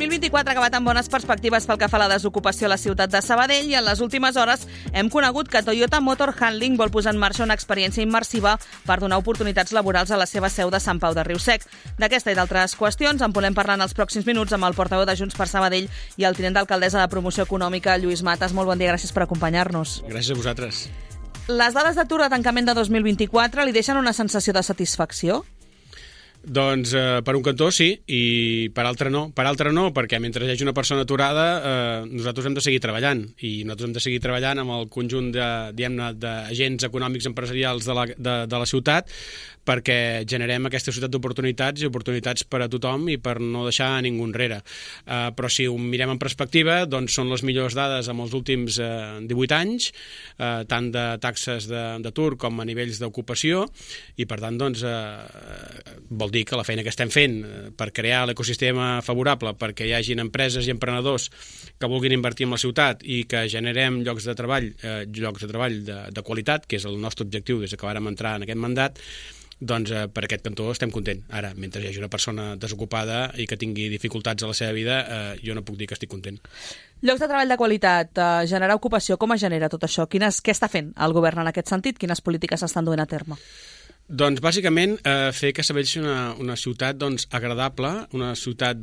2024 ha acabat amb bones perspectives pel que fa a la desocupació a la ciutat de Sabadell i en les últimes hores hem conegut que Toyota Motor Handling vol posar en marxa una experiència immersiva per donar oportunitats laborals a la seva seu de Sant Pau de Riusec. D'aquesta i d'altres qüestions en volem parlar en els pròxims minuts amb el portaveu de Junts per Sabadell i el tinent d'alcaldessa de Promoció Econòmica, Lluís Matas. Molt bon dia, gràcies per acompanyar-nos. Gràcies a vosaltres. Les dades d'atur de tancament de 2024 li deixen una sensació de satisfacció? Doncs per un cantó sí, i per altre no. Per altre no, perquè mentre hi hagi una persona aturada, nosaltres hem de seguir treballant, i nosaltres hem de seguir treballant amb el conjunt d'agents econòmics empresarials de la ciutat, perquè generem aquesta ciutat d'oportunitats i oportunitats per a tothom i per no deixar ningú enrere. Però si ho mirem en perspectiva, doncs són les millors dades en els últims 18 anys, tant de taxes d'atur com a nivells d'ocupació, i per tant doncs, vol dir que la feina que estem fent per crear l'ecosistema favorable perquè hi hagin empreses i emprenedors que vulguin invertir en la ciutat i que generem llocs de treball de qualitat, que és el nostre objectiu des que vàrem entrar en aquest mandat, doncs per aquest cantó estem contents. Ara, mentre hi hagi una persona desocupada i que tingui dificultats a la seva vida, jo no puc dir que estic content. Llocs de treball de qualitat, generar ocupació, com es genera tot això? Què està fent el govern en aquest sentit? Quines polítiques s'estan duent a terme? Doncs bàsicament fer que Sabadell sigui una ciutat agradable, una ciutat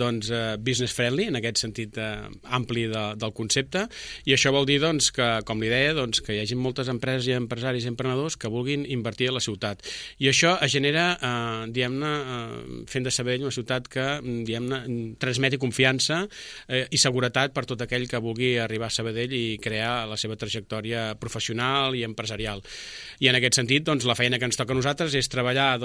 business friendly, en aquest sentit ampli del concepte, i això vol dir que, com li deia, que hi hagi moltes empreses i empresaris i emprenedors que vulguin invertir a la ciutat. I això es genera, fent de Sabadell una ciutat que, transmeti confiança i seguretat per tot aquell que vulgui arribar a Sabadell i crear la seva trajectòria professional i empresarial. I en aquest sentit, la feina que ens toca a nosaltres és treballar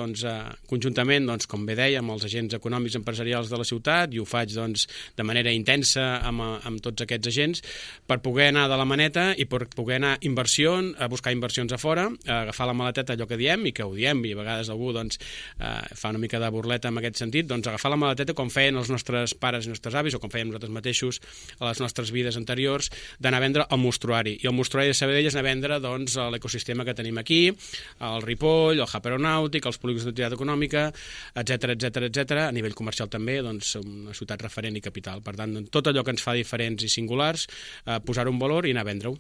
conjuntament, com bé deia, amb els agents econòmics empresarials de la ciutat, i ho faig de manera intensa amb tots aquests agents, per poder anar de la maneta i per poder anar a buscar inversions a fora, a agafar la maleteta, allò que diem, i que ho diem, i a vegades algú fa una mica de burleta en aquest sentit, agafar la maleteta com feien els nostres pares i nostres avis, o com fèiem nosaltres mateixos a les nostres vides anteriors, d'anar a vendre el mostruari. I el mostruari de Sabadell és anar a vendre l'ecosistema que tenim aquí, el Ripoll, el Hub Aeronàutic, els polígons d'activitat econòmica, etc. A nivell comercial també, una ciutat referent i capital. Per tant, tot allò que ens fa diferents i singulars, posar-ho en valor i anar a vendre-ho.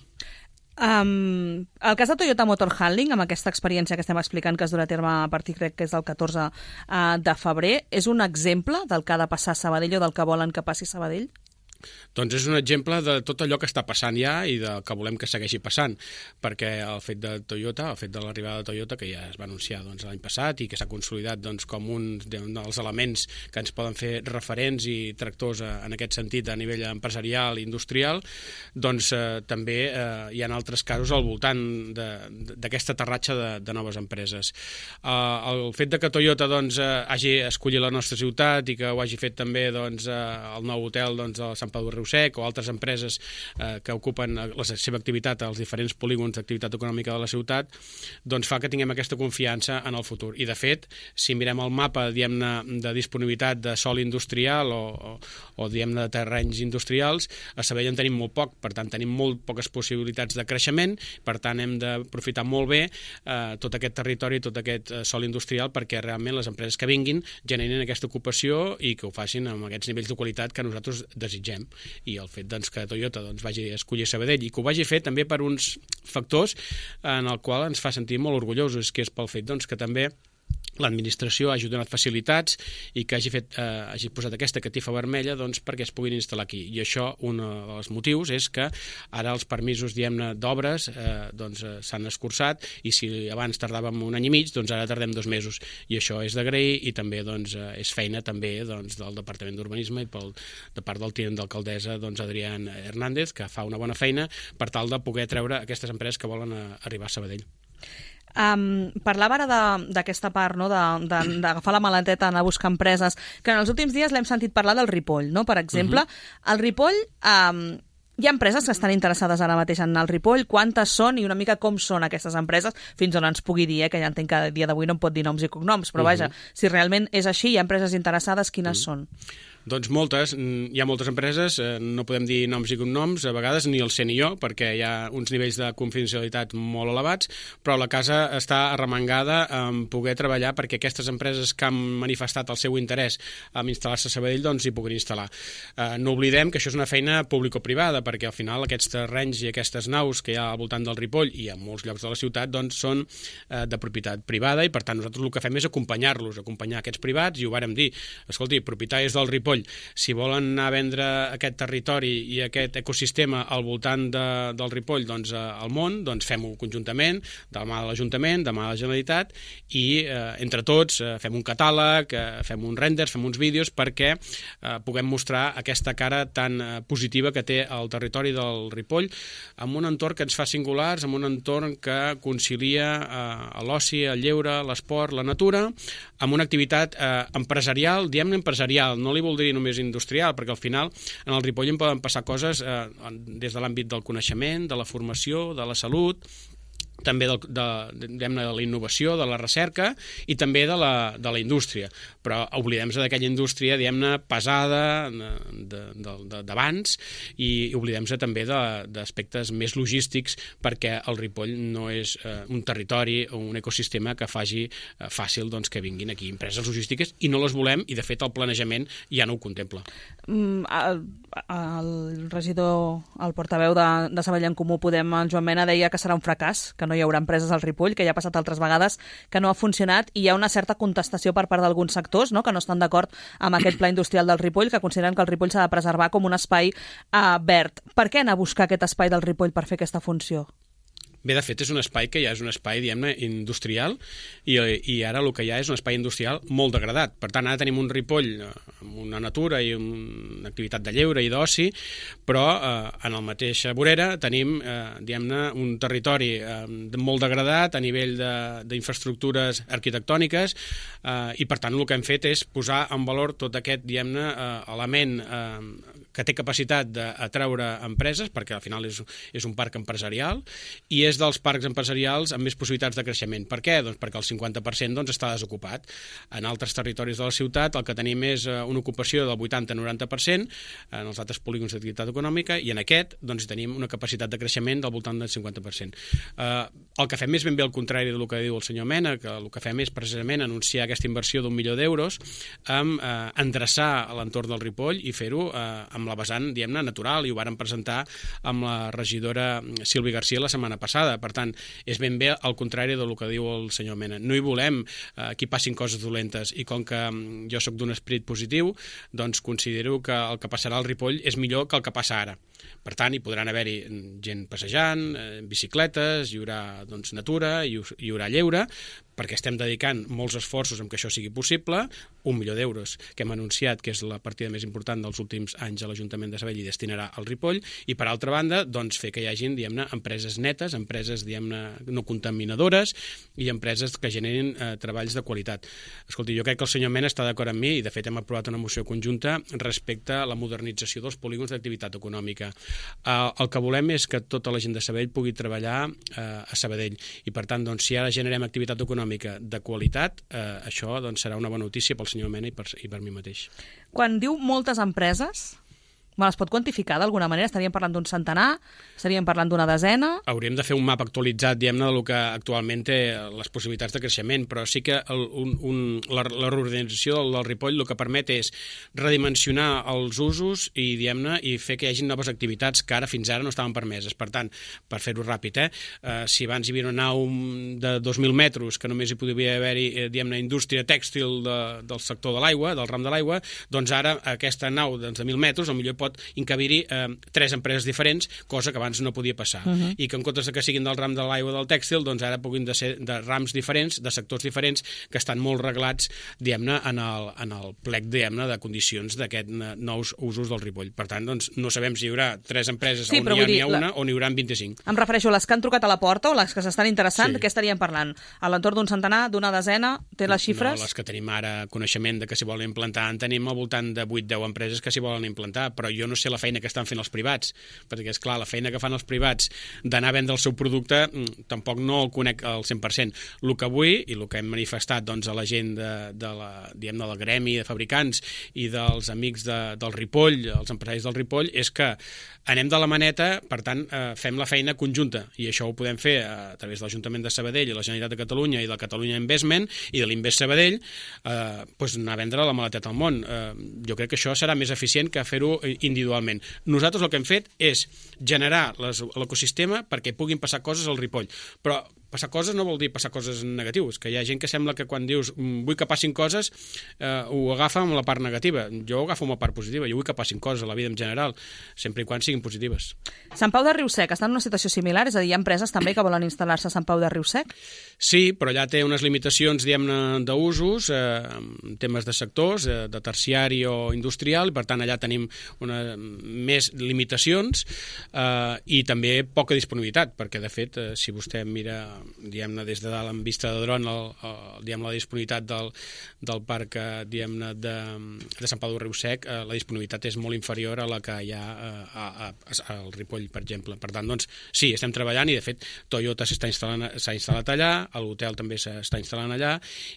El cas de Toyota Motor Handling, amb aquesta experiència que estem explicant que es durà a terme a partir, crec que és del 14 de febrer, és un exemple del que ha de passar a Sabadell o del que volen que passi a Sabadell? Doncs és un exemple de tot allò que està passant ja i del que volem que segueixi passant, perquè el fet de Toyota, el fet de l'arribada de Toyota, que ja es va anunciar l'any passat i que s'ha consolidat com un dels elements que ens poden fer referents i tractors en aquest sentit a nivell empresarial i industrial, també hi ha altres casos al voltant d'aquest aterratge de noves empreses. El fet de que Toyota hagi escollit la nostra ciutat i que ho hagi fet també el nou hotel de Sant Pau de Riusec o altres empreses que ocupen la seva activitat als diferents polígons d'activitat econòmica de la ciutat, fa que tinguem aquesta confiança en el futur. I de fet, si mirem el mapa de disponibilitat de sòl industrial o de terrenys industrials, a Sabadell en tenim molt poc, per tant tenim molt poques possibilitats de creixement, per tant hem d'aprofitar molt bé tot aquest territori, tot aquest sòl industrial perquè realment les empreses que vinguin generin aquesta ocupació i que ho facin amb aquests nivells de qualitat que nosaltres desitgem. I el fet que Toyota vagi a escollir Sabadell i que ho vagi fer també per uns factors en el qual ens fa sentir molt orgullosos, que és pel fet que també l'administració hagi donat facilitats i que hagi posat aquesta catifa vermella perquè es puguin instal·lar aquí. I això, un dels motius és que ara els permisos d'obres s'han escurçat i si abans tardàvem un any i mig, ara tardem 2 mesos. I això és d'agrair i també és feina també del Departament d'Urbanisme i de part del tinent d'alcaldessa Adrián Hernández, que fa una bona feina per tal de poder treure aquestes empreses que volen arribar a Sabadell. Parlava ara d'aquesta part, no? d'agafar la maleteta, anar a buscar empreses, que en els últims dies l'hem sentit parlar del Ripoll, no? Per exemple. El Ripoll, hi ha empreses que estan interessades ara mateix en el Ripoll. Quantes són i una mica com són aquestes empreses, fins on ens pugui dir, que ja entenc que a dia d'avui no em pot dir noms i cognoms, però vaja, si realment és així, hi ha empreses interessades, quines són? Doncs moltes. Hi ha moltes empreses, no podem dir noms i cognoms, a vegades ni el sé ni jo, perquè hi ha uns nivells de confidencialitat molt elevats, però la casa està arremangada en poder treballar perquè aquestes empreses que han manifestat el seu interès en instal·lar-se a Sabadell doncs hi puguin instal·lar. No oblidem que això és una feina público-privada, perquè al final aquests terrenys i aquestes naus que hi ha al voltant del Ripoll i a molts llocs de la ciutat doncs són de propietat privada i per tant nosaltres el que fem és acompanyar-los, acompanyar aquests privats, i ho vàrem dir, escolti, propietaris del Ripoll, si volen anar a vendre aquest territori i aquest ecosistema al voltant del Ripoll doncs, al món, doncs fem-ho conjuntament, de la mà de l'Ajuntament, de la mà de la Generalitat, i entre tots fem un catàleg, fem uns renders, fem uns vídeos perquè puguem mostrar aquesta cara tan positiva que té el territori del Ripoll, amb un entorn que ens fa singulars, amb un entorn que concilia l'oci, el lleure, l'esport, la natura, amb una activitat empresarial, diem-ne empresarial, no li voldria només industrial, perquè al final en el Ripoll en poden passar coses des de l'àmbit del coneixement, de la formació, de la salut, també de la innovació, de la recerca i també de la indústria. Però oblidem-se d'aquella indústria, diguem-ne, pesada d'abans, i oblidem-se també d'aspectes més logístics, perquè el Ripoll no és un territori o un ecosistema que faci fàcil doncs, que vinguin aquí empreses logístiques, i no les volem, i de fet el planejament ja no ho contempla. El regidor, el portaveu de Sabadell en Comú Podem, el Joan Mena, deia que serà un fracàs, que no hi haurà empreses al Ripoll, que ja ha passat altres vegades, que no ha funcionat, i hi ha una certa contestació per part d'alguns sectors, no?, que no estan d'acord amb aquest pla industrial del Ripoll, que consideren que el Ripoll s'ha de preservar com un espai verd. Per què anar a buscar aquest espai del Ripoll per fer aquesta funció? Bé, de fet, és un espai que ja és un espai, diguem-ne, industrial, i ara el que hi ha és un espai industrial molt degradat. Per tant, ara tenim un Ripoll amb una natura i una activitat de lleure i d'oci, però en el mateix vorera tenim, diguem-ne, un territori molt degradat a nivell d'infraestructures arquitectòniques, i per tant el que hem fet és posar en valor tot aquest, diguem-ne, element que té capacitat d'atraure empreses, perquè al final és un parc empresarial, i és dels parcs empresarials amb més possibilitats de creixement. Per què? Doncs perquè el 50% doncs, està desocupat. En altres territoris de la ciutat el que tenim és una ocupació del 80-90% en els altres polígons d'activitat econòmica, i en aquest doncs, tenim una capacitat de creixement del voltant del 50%. El que fem és ben bé el contrari del que diu el senyor Mena, que el que fem és precisament anunciar aquesta inversió d'1 milió d'euros amb endreçar l'entorn del Ripoll i fer-ho amb la vessant, diguem-ne, natural, i ho vàrem presentar amb la regidora Sílvia García la setmana passada. Per tant, és ben bé el contrari del que diu el senyor Mena. No hi volem que hi passin coses dolentes, i com que jo sóc d'un esperit positiu, doncs considero que el que passarà al Ripoll és millor que el que passa ara. Per tant, hi podran haver-hi gent passejant, bicicletes, hi haurà doncs, natura, hi haurà lleure, perquè estem dedicant molts esforços en que això sigui possible, 1 milió d'euros que hem anunciat que és la partida més important dels últims anys a l'Ajuntament de Sabadell i destinarà al Ripoll, i per altra banda doncs, fer que hi hagin, diguem-ne, empreses netes, empreses, diguem-ne, no contaminadores, i empreses que generin treballs de qualitat. Escolti, jo crec que el senyor Mena està d'acord amb mi, i de fet hem aprovat una moció conjunta respecte a la modernització dels polígons d'activitat econòmica. El que volem és que tota la gent de Sabadell pugui treballar a Sabadell, i per tant, doncs, si ara generem activitat econòmica de qualitat, això doncs, serà una bona notícia pel senyor Mena i per mi mateix. Quan diu moltes empreses, es pot quantificar d'alguna manera? Estaríem parlant d'un centenar? Estaríem parlant d'una desena? Hauríem de fer un mapa actualitzat, diguem-ne, del que actualment té les possibilitats de creixement, però sí que la reorganització del Ripoll el que permet és redimensionar els usos i, diguem-ne, i fer que hi hagi noves activitats que ara fins ara no estaven permeses. Per tant, per fer-ho ràpid, si abans hi havia una nau de 2.000 metres que només hi podia haver-hi, diguem-ne, indústria tèxtil del sector de l'aigua, del ram de l'aigua, doncs ara aquesta nau de 1.000 metres potser pot encabir-hi 3 empreses diferents, cosa que abans no podia passar. I que en comptes de que siguin del ram de l'aigua del tèxtil, doncs ara puguin de ser de rams diferents, de sectors diferents, que estan molt reglats, diguem-ne, en el plec, diguem-ne, de condicions d'aquests nous usos del Ripoll. Per tant, doncs, no sabem si hi haurà 3 empreses on n'hi ha una o n'hi haurà 25. Em refereixo a les que han trucat a la porta o les que s'estan interessant, què estaríem parlant? A l'entorn d'un centenar, d'una desena? Té les xifres? No, les que tenim ara coneixement de que s'hi volen implantar, en tenim al voltant de 8-10 empreses que s'hi volen implantar, però jo no sé la feina que estan fent els privats, perquè, és clar, la feina que fan els privats d'anar a vendre el seu producte tampoc no el conec al 100%. El que vull, i el que hem manifestat doncs, a la gent del gremi de fabricants i dels amics del Ripoll, els empresaris del Ripoll, és que anem de la maneta, per tant, fem la feina conjunta, i això ho podem fer a través de l'Ajuntament de Sabadell i la Generalitat de Catalunya i de Catalunya Investment i de l'Invest Sabadell, anar a vendre la maleteta al món. Jo crec que això serà més eficient que fer-ho individualment. Nosaltres el que hem fet és generar l'ecosistema perquè puguin passar coses al Ripoll, però passar coses no vol dir passar coses negatives, que hi ha gent que sembla que quan dius vull que passin coses ho agafa amb la part negativa. Jo ho agafo amb la part positiva, jo vull que passin coses a la vida en general, sempre i quan siguin positives. Sant Pau de Riu-sec està en una situació similar? És a dir, hi ha empreses també que volen instal·lar-se a Sant Pau de Riu-sec? Sí, però allà té unes limitacions, diguem-ne, d'usos, temes de sectors, de terciari o industrial, i per tant allà tenim més limitacions i també poca disponibilitat, perquè de fet, si vostè mira diguem-ne des de dalt en vista de dron la disponibilitat del parc diguem-ne de Sant Pau de Riu-sec, la disponibilitat és molt inferior a la que hi ha al Ripoll, per exemple. Per tant, doncs, sí, estem treballant i de fet Toyota s'ha instal·lat allà, l'hotel també s'està instal·lant allà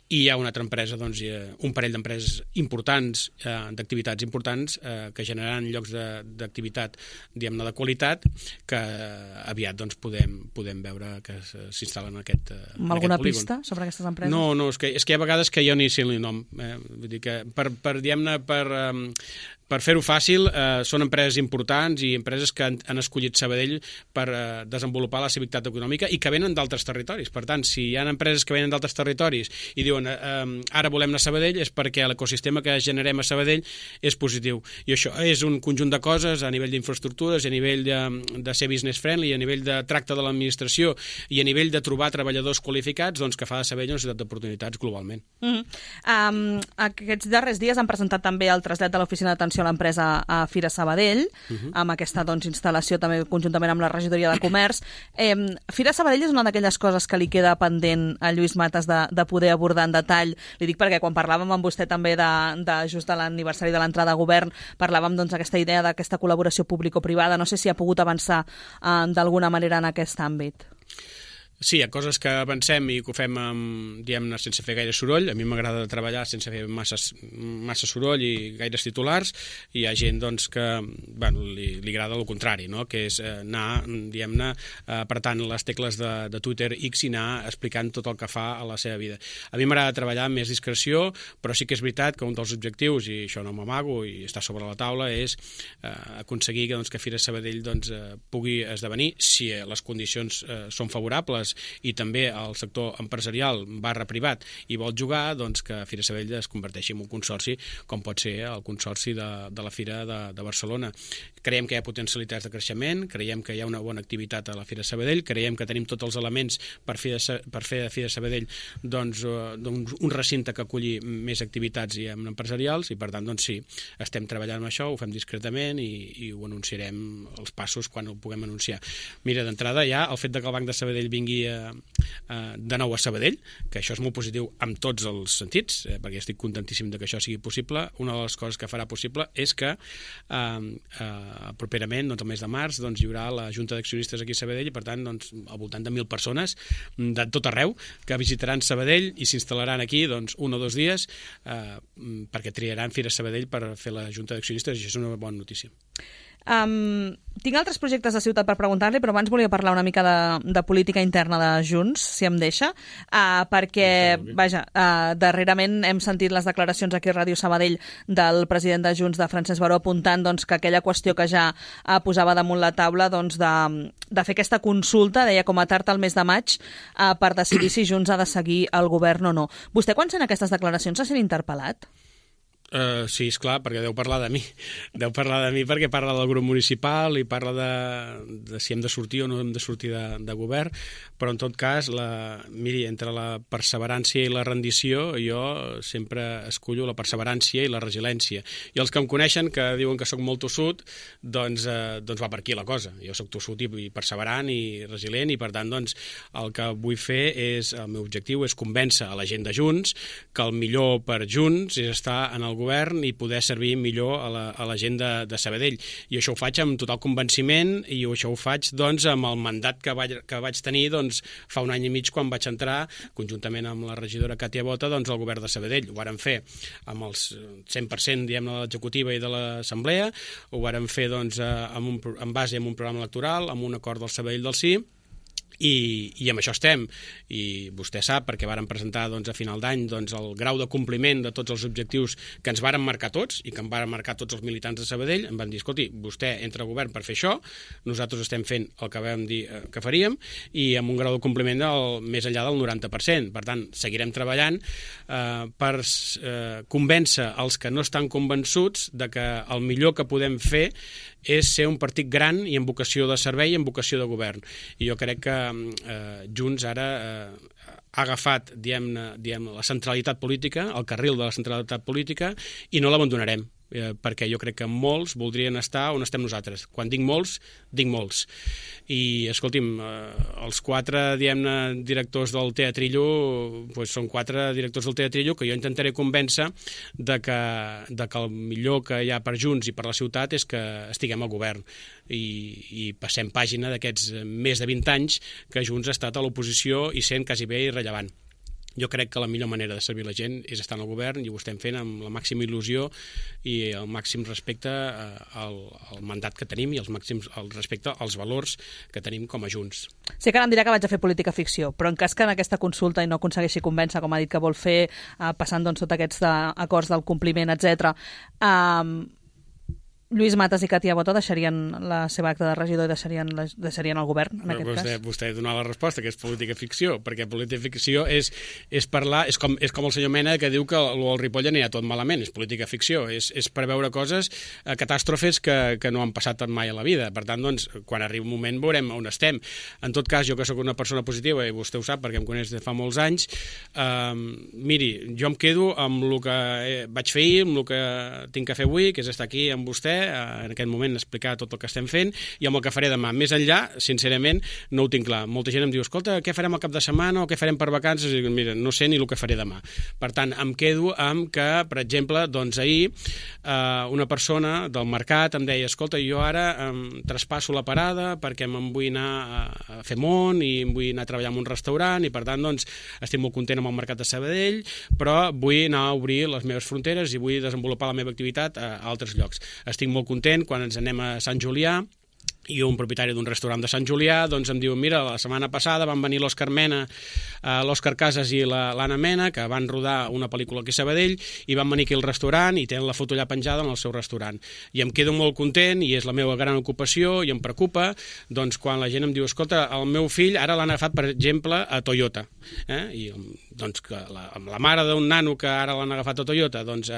i hi ha una altra empresa, doncs, un parell d'empreses importants, d'activitats importants que generaran llocs d'activitat diguem-ne de qualitat que aviat doncs podem veure que s'instal·len en aquest polígon. Alguna pista sobre aquestes empreses? No, és que hi ha vegades que jo ni sé el nom. Vull dir que per fer-ho fàcil, són empreses importants i empreses que han escollit Sabadell per desenvolupar la seva activitat econòmica i que venen d'altres territoris. Per tant, si hi ha empreses que venen d'altres territoris i diuen ara volem anar a Sabadell, és perquè l'ecosistema que generem a Sabadell és positiu. I això és un conjunt de coses a nivell d'infraestructures, a nivell de ser business friendly, a nivell de tracte de l'administració i a nivell de trobar treballadors qualificats, doncs que fa de Sabadell una ciutat d'oportunitats globalment. Aquests darrers dies han presentat també el trasllat de l'oficina d'atenció a l'empresa a Fira Sabadell, amb aquesta instal·lació també conjuntament amb la regidoria de comerç. Fira Sabadell és una d'aquelles coses que li queda pendent a Lluís Matas de poder abordar en detall. Li dic perquè quan parlàvem amb vostè també just de l'aniversari de l'entrada a govern, parlàvem d'aquesta idea d'aquesta col·laboració público-privada. No sé si ha pogut avançar d'alguna manera en aquest àmbit. Sí, hi ha coses que avancem i que ho fem diguem-ne, sense fer gaire soroll. A mi m'agrada treballar sense fer massa soroll i gaires titulars. I hi ha gent doncs, que li agrada el contrari, no? Que és anar, diguem-ne, apretant les tecles de Twitter X i anar explicant tot el que fa a la seva vida. A mi m'agrada treballar amb més discreció, però sí que és veritat que un dels objectius, i això no m'amago i està sobre la taula, és aconseguir que Fira Sabadell pugui esdevenir, si les condicions són favorables i també el sector empresarial /privat i vol jugar, doncs que Fira Sabadell es converteixi en un consorci com pot ser el consorci de la Fira de Barcelona. Creiem que hi ha potencialitats de creixement, creiem que hi ha una bona activitat a la Fira Sabadell, creiem que tenim tots els elements per fer de Fira Sabadell doncs, un recinte que aculli més activitats empresarials i per tant doncs sí, estem treballant amb això, ho fem discretament i ho anunciarem els passos quan ho puguem anunciar. Mira, d'entrada ja el fet que el Banc de Sabadell vingui de nou a Sabadell, que això és molt positiu en tots els sentits, perquè estic contentíssim que això sigui possible. Una de les coses que farà possible és que properament, el mes de març, hi haurà la Junta d'Accionistes aquí a Sabadell i per tant al voltant de 1.000 persones de tot arreu que visitaran Sabadell i s'instal·laran aquí 1 o 2 dies perquè triaran Fira Sabadell per fer la Junta d'Accionistes i això és una bona notícia. Tinc altres projectes de ciutat per preguntar-li, però abans volia parlar una mica de política interna de Junts, si em deixa, perquè, darrerament hem sentit les declaracions aquí a Ràdio Sabadell del president de Junts, de Francesc Baró, apuntant que aquella qüestió que ja posava damunt la taula de fer aquesta consulta, deia com a tard al mes de maig, per decidir si Junts ha de seguir el govern o no. Vostè, quan sent aquestes declaracions, se sent interpel·lat? Sí, esclar, perquè deu parlar de mi. Deu parlar de mi perquè parla del grup municipal i parla de si hem de sortir o no hem de sortir de govern, però en tot cas, miri, entre la perseverància i la rendició, jo sempre escollo la perseverància i la resiliència. I els que em coneixen, que diuen que sóc molt tossut, doncs va per aquí la cosa. Jo sóc tossut i perseverant i resilient i per tant, doncs, el que vull fer el meu objectiu és convèncer a la gent de Junts que el millor per Junts és estar en el govern i poder servir millor a la gent de Sabadell. I això ho faig amb total convenciment i això ho faig doncs, amb el mandat que vaig tenir doncs, fa un any i mig quan vaig entrar, conjuntament amb la regidora Càtia Bota, doncs, al govern de Sabadell. Ho vàrem fer amb els 100% de l'executiva i de l'assemblea, ho vàrem fer doncs, en base a un programa electoral, amb un acord del Sabadell del Sí, i amb això estem, i vostè sap, perquè vàrem presentar doncs, a final d'any doncs, el grau de compliment de tots els objectius que ens vàrem marcar tots i que en vàrem marcar tots els militants de Sabadell. Em van dir, escolti, vostè entra al govern per fer això, nosaltres estem fent el que vam dir que faríem i amb un grau de compliment més enllà del 90%. Per tant, seguirem treballant per convèncer els que no estan convençuts de que el millor que podem fer és ser un partit gran i amb vocació de servei i amb vocació de govern. I jo crec que Junts ara ha agafat la centralitat política, el carril de la centralitat política, i no l'abandonarem, perquè jo crec que molts voldrien estar on estem nosaltres. Quan dic molts, I, escolti'm, els 4, directors del Teatrillo doncs són 4 directors del Teatrillo que jo intentaré convèncer que el millor que hi ha per Junts i per la ciutat és que estiguem al govern i passem pàgina d'aquests més de 20 anys que Junts ha estat a l'oposició i sent quasi bé irrellevant. Jo crec que la millor manera de servir la gent és estar en el govern i ho estem fent amb la màxima il·lusió i el màxim respecte al mandat que tenim i el respecte als valors que tenim com a Junts. Sé que ara em dirà que vaig a fer política ficció, però en cas que en aquesta consulta i no aconsegueixi convèncer, com ha dit que vol fer, passant doncs, tots aquests acords del compliment, etc., Lluís Matas i Càtia Bota deixarien la seva acta de regidor i deixarien el govern, en aquest cas? Vostè ha donat la resposta, que és política ficció, perquè política ficció és parlar, és com el senyor Mena que diu que el Ripoll anirà tot malament, és política ficció, és preveure coses, catàstrofes que no han passat mai a la vida. Per tant, doncs, quan arribi un moment veurem on estem. En tot cas, jo que sóc una persona positiva, i vostè ho sap perquè em coneix de fa molts anys, miri, jo em quedo amb el que vaig fer ahir, amb el que tinc que fer avui, que és estar aquí amb vostè, en aquest moment explicar tot el que estem fent i amb el que faré demà. Més enllà, sincerament, no ho tinc clar. Molta gent em diu, escolta, què farem al cap de setmana o què farem per vacances? I dic, mira, no sé ni el que faré demà. Per tant, em quedo amb que, per exemple, doncs ahir una persona del mercat em deia, escolta, jo ara traspasso la parada perquè me'n vull anar a fer món i em vull anar a treballar en un restaurant i, per tant, doncs, estic molt content amb el mercat de Sabadell, però vull anar a obrir les meves fronteres i vull desenvolupar la meva activitat a altres llocs. Estic molt content quan ens anem a Sant Julià i un propietari d'un restaurant de Sant Julià doncs em diu, mira, la setmana passada van venir l'Òscar Mena, l'Òscar Casas i l'Anna Mena, que van rodar una pel·lícula aquí a Sabadell i van venir aquí al restaurant i tenen la foto allà penjada en el seu restaurant. I em quedo molt content i és la meva gran ocupació i em preocupa doncs, quan la gent em diu, escolta, el meu fill ara l'han agafat, per exemple, a Toyota. I doncs que la mare d'un nano que ara l'han agafat a Toyota doncs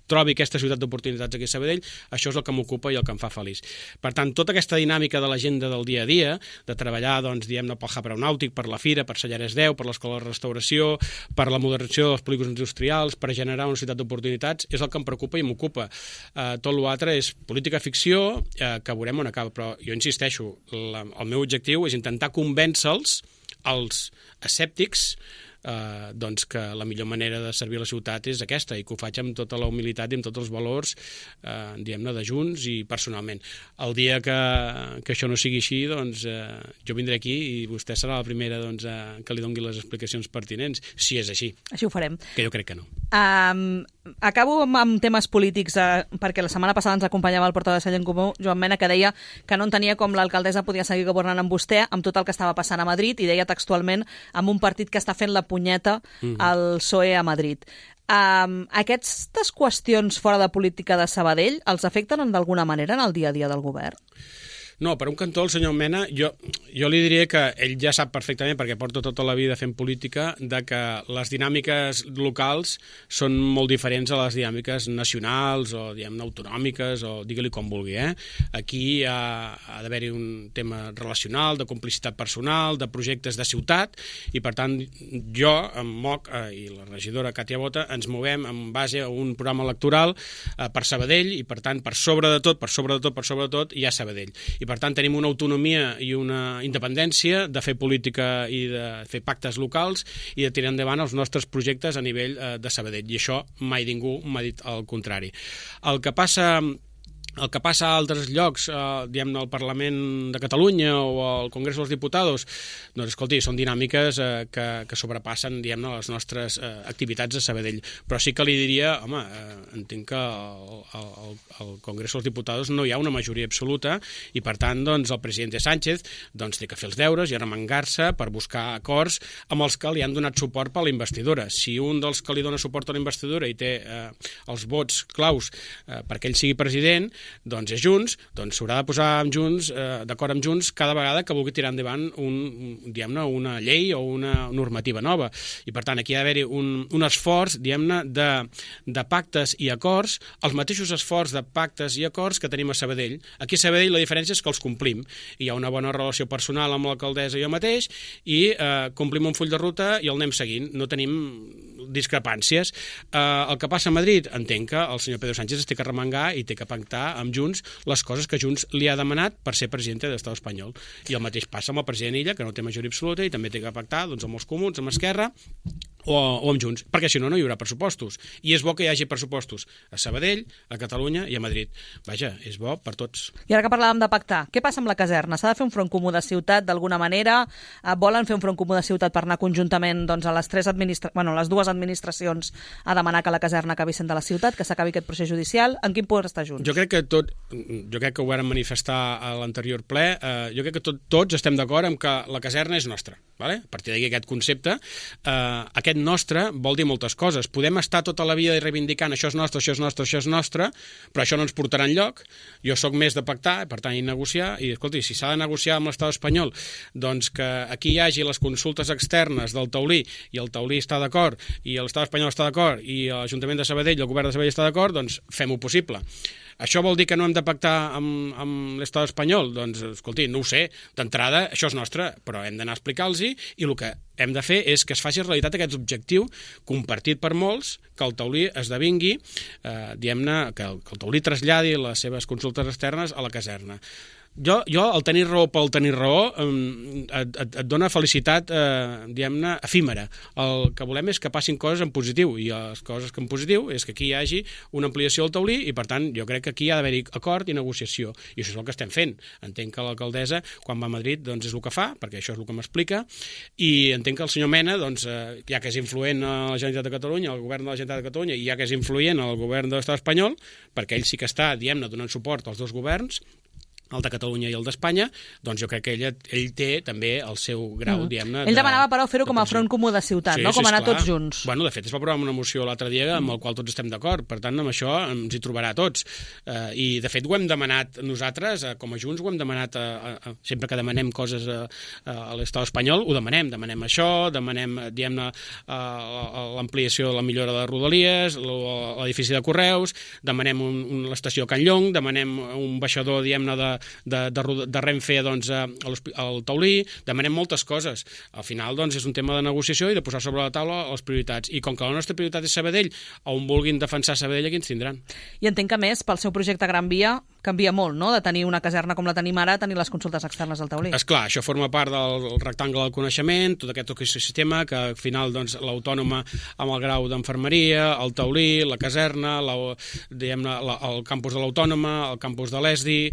trobi aquesta ciutat d'oportunitats aquí a Sabadell, això és el que m'ocupa i el que em fa feliç. Per tant, tota aquesta dinàmica de l'agenda del dia a dia, de treballar, doncs, diguem-ne, pel hub aeronàutic, per la Fira, per Sallares 10, per l'Escola de Restauració, per la modernització dels polígons industrials, per generar una ciutat d'oportunitats, és el que em preocupa i m'ocupa. Tot l'altre és política ficció, que veurem on acaba, però jo insisteixo, el meu objectiu és intentar convèncer-los, els escèptics, doncs que la millor manera de servir la ciutat és aquesta i que ho faig amb tota la humilitat i amb tots els valors diguem-ne de Junts i personalment. El dia que això no sigui així, doncs jo vindré aquí i vostè serà la primera doncs, que li doni les explicacions pertinents, si és així. Així ho farem. Que jo crec que no. Acabo amb temes polítics, perquè la setmana passada ens acompanyava el portaveu de Sallent Comú, Joan Mena, que deia que no entenia com l'alcaldessa podia seguir governant amb vostè amb tot el que estava passant a Madrid, i deia textualment amb un partit que està fent la punyeta al PSOE a Madrid. Aquestes qüestions fora de política de Sabadell els afecten d'alguna manera en el dia a dia del govern? No, per un cantó, el senyor Mena, jo li diria que ell ja sap perfectament, perquè porta tota la vida fent política, de que les dinàmiques locals són molt diferents a les dinàmiques nacionals o, diguem-ne, autonòmiques, o digue-li com vulgui. Aquí ha d'haver-hi un tema relacional, de complicitat personal, de projectes de ciutat, i per tant jo, en MOC i la regidora Càtia Bota, ens movem en base a un programa electoral per Sabadell, i per tant, per sobre de tot, hi ha Sabadell. I i per tant tenim una autonomia i una independència de fer política i de fer pactes locals i de tirar endavant els nostres projectes a nivell de Sabadell, i això mai ningú m'ha dit el contrari. El que passa a altres llocs, diguem-ne, al Parlament de Catalunya o al Congrés dels Diputats, doncs, escolti, són dinàmiques que sobrepassen, diguem-ne, les nostres activitats a Sabadell. Però sí que li diria, home, entenc que al Congrés dels Diputats no hi ha una majoria absoluta i, per tant, doncs, el president Sánchez doncs, té que fer els deures i arremangar-se per buscar acords amb els que li han donat suport per la investidura. Si un dels que li dona suport a la investidura i té els vots claus perquè ell sigui president, doncs és Junts, doncs s'haurà de posar d'acord amb Junts cada vegada que vulgui tirar endavant una llei o una normativa nova. I per tant aquí ha d'haver-hi un esforç, diguem-ne, de pactes i acords, els mateixos esforços de pactes i acords que tenim a Sabadell. Aquí a Sabadell la diferència és que els complim. Hi ha una bona relació personal amb l'alcaldessa i jo mateix i complim un full de ruta i el anem seguint. No tenim discrepàncies. El que passa a Madrid, entenc que el senyor Pedro Sánchez es té que remengar i té que pactar amb Junts les coses que Junts li ha demanat per ser president de l'Estat espanyol. I el mateix passa amb el president Illa, que no té majoria absoluta i també té que pactar doncs, amb els comuns, amb Esquerra o amb Junts, perquè si no, no hi haurà pressupostos. I és bo que hi hagi pressupostos a Sabadell, a Catalunya i a Madrid. Vaja, és bo per tots. I ara que parlàvem de pactar, què passa amb la caserna? S'ha de fer un front comú de ciutat d'alguna manera? Volen fer un front comú de ciutat per anar conjuntament doncs, a les dues administracions a demanar que la caserna acabi sent de la ciutat, que s'acabi aquest procés judicial? En quin punt està Junts? Jo crec que ho vàrem manifestar a l'anterior ple. Jo crec que tots estem d'acord amb que la caserna és nostra. Vale? A partir d'aquí aquest concepte, aquest nostre vol dir moltes coses. Podem estar tota la vida reivindicant això és nostre, això és nostre, això és nostre, però això no ens portarà enlloc. Jo sóc més de pactar, per tant, i negociar, i escolti, si s'ha de negociar amb l'Estat espanyol, doncs que aquí hi hagi les consultes externes del taulí, i el taulí està d'acord, i l'Estat espanyol està d'acord, i l'Ajuntament de Sabadell i el govern de Sabadell està d'acord, doncs fem-ho possible. Això vol dir que no hem de pactar amb l'Estat espanyol? Doncs, escolti, no ho sé. D'entrada, això és nostre, però hem d'anar a explicar-los i el que hem de fer és que es faci realitat aquest objectiu compartit per molts, que el taulí esdevingui, diguem-ne, que el taulí traslladi les seves consultes externes a la caserna. Jo, el tenir raó pel tenir raó, et dona felicitat, diguem-ne, efímera. El que volem és que passin coses en positiu, i les coses que en positiu és que aquí hi hagi una ampliació del taulí, i per tant jo crec que aquí hi ha d'haver-hi acord i negociació, i això és el que estem fent. Entenc que l'alcaldessa, quan va a Madrid, doncs és el que fa, perquè això és el que m'explica, i entenc que el senyor Mena, doncs, ja que és influent a la Generalitat de Catalunya, al govern de la Generalitat de Catalunya, i ja que és influent al govern de l'Estat espanyol, perquè ell sí que està, diguem-ne, donant suport als dos governs, el de Catalunya i el d'Espanya, doncs jo crec que ell té també el seu grau, diguem-ne... Ell demanava, però, fer-ho com a front comú de ciutat, no? Com anar tots junts. Bueno, de fet, es va aprovar una moció l'altre dia amb el qual tots estem d'acord, per tant, amb això ens hi trobarà tots. I, de fet, ho hem demanat nosaltres, com a Junts, ho hem demanat, sempre que demanem coses a l'Estat espanyol, ho demanem això, demanem, diguem-ne, l'ampliació de la millora de Rodalies, l'edifici de Correus, demanem l'estació Can Llong, demanem un baixador, diguem-ne, de Renfe doncs, al taulí, demanem moltes coses. Al final doncs, és un tema de negociació i de posar sobre la taula les prioritats. I com que la nostra prioritat és Sabadell, on vulguin defensar Sabadell, aquí ens tindran. I entenc que, més, pel seu projecte Gran Via canvia molt, no?, de tenir una caserna com la tenim ara a tenir les consultes externes al taulí. Esclar, això forma part del rectangle del coneixement, tot aquest ecosistema que al final doncs, l'autònoma amb el grau d'enfermeria, el taulí, la caserna, el campus de l'autònoma, el campus de l'ESDI,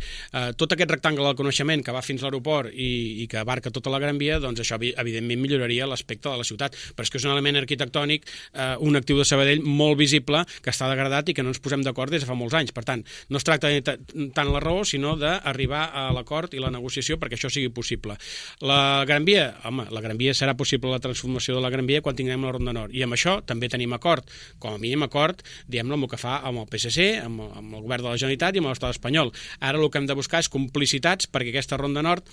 tot aquest rectangle del coneixement que va fins a l'aeroport i que abarca tota la Gran Via, doncs això evidentment milloraria l'aspecte de la ciutat, però és que és un element arquitectònic, un actiu de Sabadell molt visible, que està degradat i que no ens posem d'acord des de fa molts anys. Per tant, no es tracta tant la raó, sinó d'arribar a l'acord i la negociació perquè això sigui possible. La Gran Via, home, la Gran Via serà possible la transformació de la Gran Via quan tinguem la Ronda Nord, i amb això també tenim acord, com a mínim acord, diguem-ne, amb el que fa amb el PSC, amb el govern de la Generalitat i amb l'Estat espanyol. Ara el que hem de buscar és complicitats perquè aquesta Ronda Nord,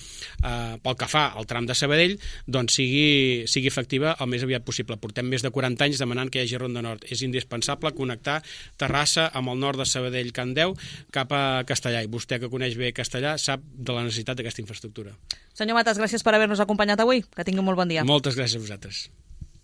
pel que fa al tram de Sabadell, doncs sigui efectiva el més aviat possible. Portem més de 40 anys demanant que hi hagi Ronda Nord. És indispensable connectar Terrassa amb el nord de Sabadell, Can Deu, cap a Castellà, i vostè que coneix bé Castellà sap de la necessitat d'aquesta infraestructura. Senyor Matas, gràcies per haver-nos acompanyat avui. Que tingui un molt bon dia. Moltes gràcies a vosaltres.